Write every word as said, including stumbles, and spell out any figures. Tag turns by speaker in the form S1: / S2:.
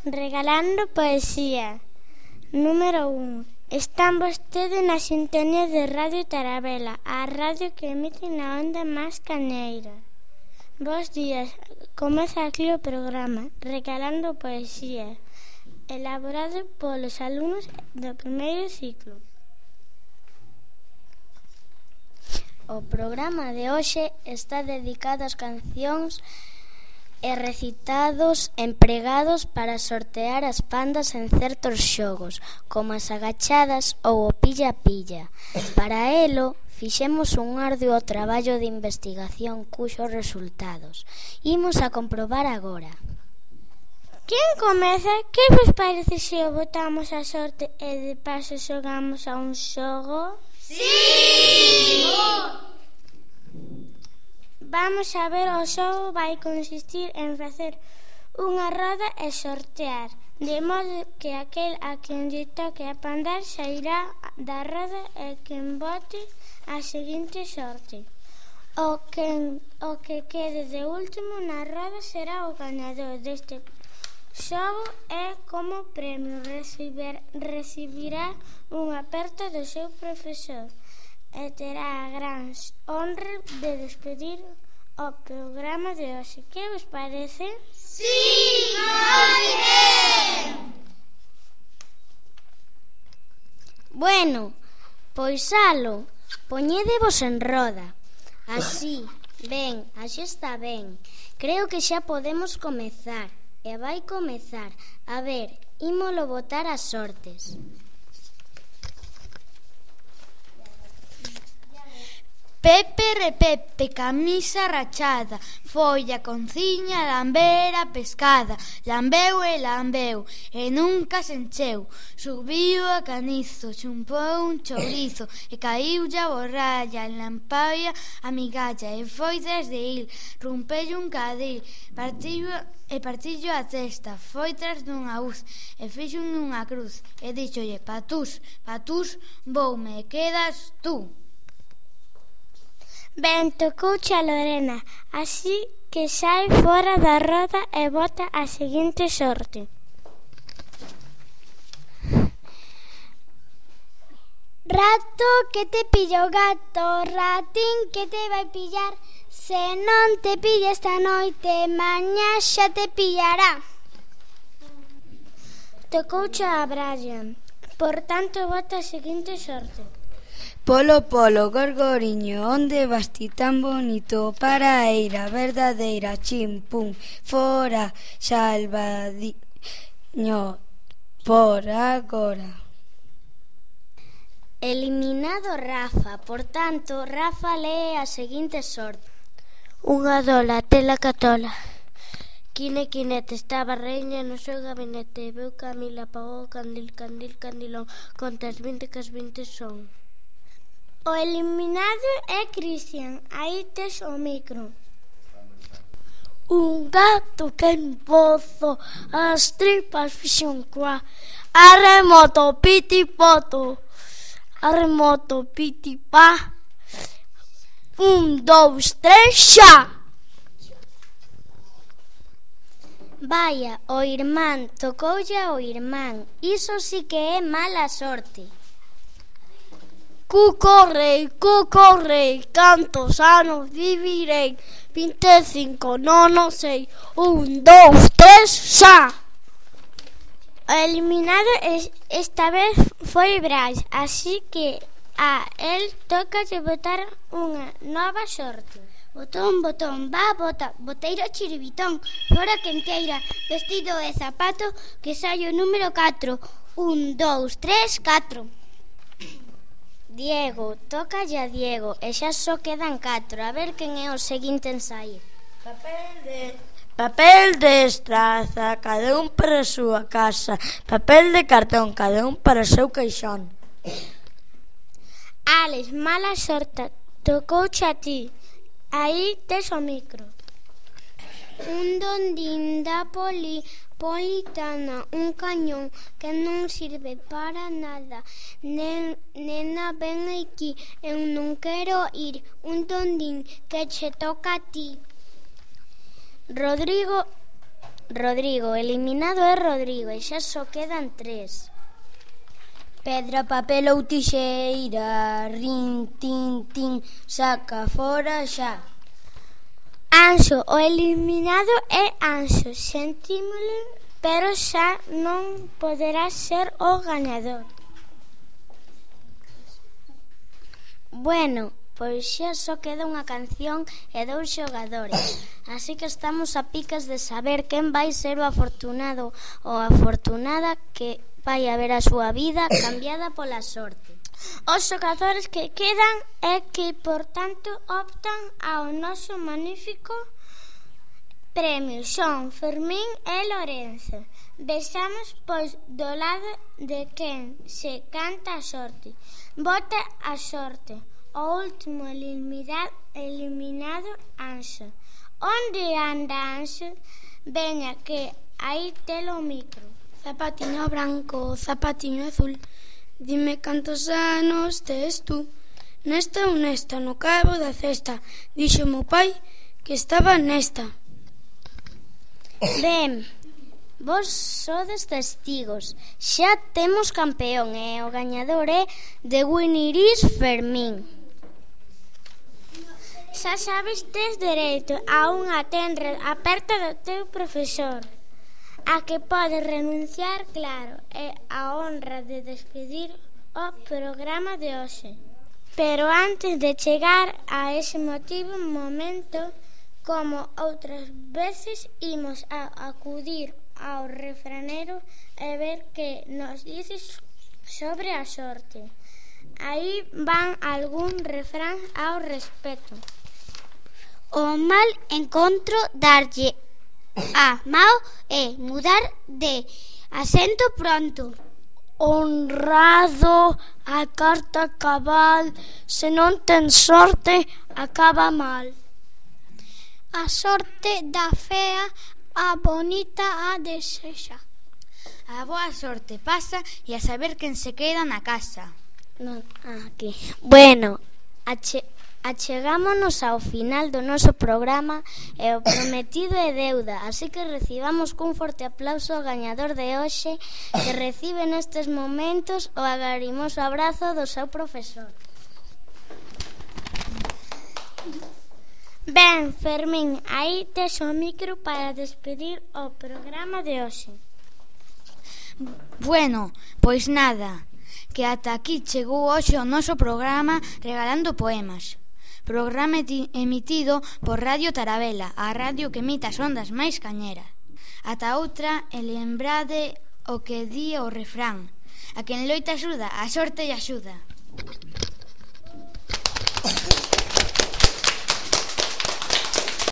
S1: Regalando poesía. Número un. Están vostedes na sintonía de Radio Tarabela, a radio que emite na onda máis cañeira. Bos días, comeza aquí o programa Regalando poesía, elaborado polos alumnos do primeiro ciclo. O programa de hoxe está dedicado ás cancións e recitados empregados para sortear as pandas en certos xogos, como as agachadas ou o pilla-pilla. Para elo, fixemos un arduo traballo de investigación cuxos resultados imos a comprobar agora. Quen comeza? Que vos parece se o botamos a sorte e de paso xogamos a un xogo?
S2: Sí!
S1: Vamos a ver, o xogo vai consistir en facer unha roda e sortear, de modo que aquel a quen lle toque a pandar sairá da roda e quen bote a seguinte sorte. O que, o que quede de último na roda será o gañador deste xogo e como premio recibir, recibirá un aperto do seu profesor e terá a gran honra de despedir o programa de hoxe. Que vos parece?
S2: Sí, moi ben!
S1: Bueno, pois alo, poñédevos en roda. Así, ben, así está ben. Creo que xa podemos comezar. E vai comezar. A ver, ímolo botar as sortes.
S3: Pepe repepe, camisa rachada, folla, conciña, lambera, pescada, lambeu e lambeu, e nunca se encheu. Subiu a canizo, chumpou un chourizo, e caiu a borralla, en lampaia a migalla, e foi tras de il, rumpello un cadil, partillo, e partillo a testa, foi tras dunha uz, e fixo unha cruz, e díxolle, patús, patús, voume, e quedas tú.
S1: Ben, tocouche a Lorena, así que sai fora da roda e bota a seguinte sorte. Rato que te pilla o gato, ratín que te vai pillar, se non te pilla esta noite, mañá xa te pillará. Tocouche a Brian, por tanto bota a seguinte sorte.
S4: Polo, polo, gorgoriño, onde vas ti tan bonito? Para a eira verdadeira, chim, pum, fora, salvadiño, por agora. Eliminado Rafa, por tanto, Rafa lee a seguinte sorte. Unha dola, tela catola. Quine, quinete, estaba reña no seu gabinete, veu Camila, apagou o candil, candil, candilón, contas vinte que as vinte son. O eliminado é Cristian, aí tes o micro. Un gato que en pozo as tripas fixon coa. Arremoto, piti, poto. Arremoto, piti, pa. Un, dous, tres, xa. Vaya, o irmán, tocoulle ao irmán. Iso sí que é mala sorte. Cucorrei, cucorrei, cantos anos vivirei? vinte e cinco, non o sei. Un, dous, tres, xa. O eliminado esta vez foi Brais, así que a el toca de botar unha nova sorte. Botón, botón, va, bota, boteiro chiribitón, fora quenteira, vestido e zapato, que sai o número catro. Un, dous, tres, catro. Diego, toca a Diego, e xa só quedan catro. A ver quen é o seguinte en sair. Papel de... Papel de estraza, cada un para a súa casa. Papel de cartón, cada un para o seu caixón.
S1: Alex, mala sorte, tocouche a ti. Aí tes o micro. Un dondín da poli... Politana, un cañón que non sirve para nada. Nen, nena, ven aquí, eu non quero ir. Un dondín que che toca a ti. Rodrigo Rodrigo. Eliminado é Rodrigo e xa só quedan tres.
S4: Pedra, papel ou tixeira, rin, tin, tin, saca fora xa.
S1: Anxo, o eliminado é Anxo. Sentímolo, pero xa non poderá ser o gañador. Bueno, pois xa só queda unha canción e dous xogadores, así que estamos a picas de saber quen vai ser o afortunado ou afortunada que vai a ver a súa vida cambiada pola sorte. Os xogadores que quedan é que, por tanto, optan ao noso magnífico premio. Son Fermín e Lorenzo. Vexamos, pois, do lado de quen se canta a sorte. Vota a sorte. O último eliminado, eliminado Anxo. Onde anda Anxo? Veña, que aí telo o micro.
S5: Zapatiño branco, zapatiño azul, dime cantos anos tes tú. Nesta ou nesta, no cabo da cesta, dixo meu pai que estaba nesta.
S1: Ben, vos sodes testigos. Xa temos campeón e o gañador é de Winiris Fermín. Xa sabes, tes dereito a unha tenra aperta do teu profesor, a que podes renunciar, claro, é a honra de despedir o programa de hoxe. Pero antes de chegar a ese motivo momento, como outras veces, imos a acudir ao refranero e ver que nos dices sobre a sorte. Aí van algún refrán ao respecto.
S4: O mal encontro darlle a mao e mudar de asento pronto.
S6: Honrado a carta cabal, se non ten sorte acaba mal.
S4: A sorte da fea, a bonita a desexa.
S3: A boa sorte pasa e a saber quen se queda na casa.
S1: Non, aquí. Bueno, ache achegámonos ao final do noso programa e o prometido é deuda, así que recibamos cun forte aplauso ao gañador de hoxe, que recibe nestes momentos o agarimoso abrazo do seu profesor. Ben, Fermín, aí tes o micro para despedir o programa de hoxe.
S3: Bueno, pois nada, que ata aquí chegou hoxe o noso programa Regalando Poemas. Programa emitido por Radio Tarabela, a radio que emite as ondas máis cañeras. Ata outra, e lembrade o que di o refrán: a quen loita axuda, a sorte lle axuda.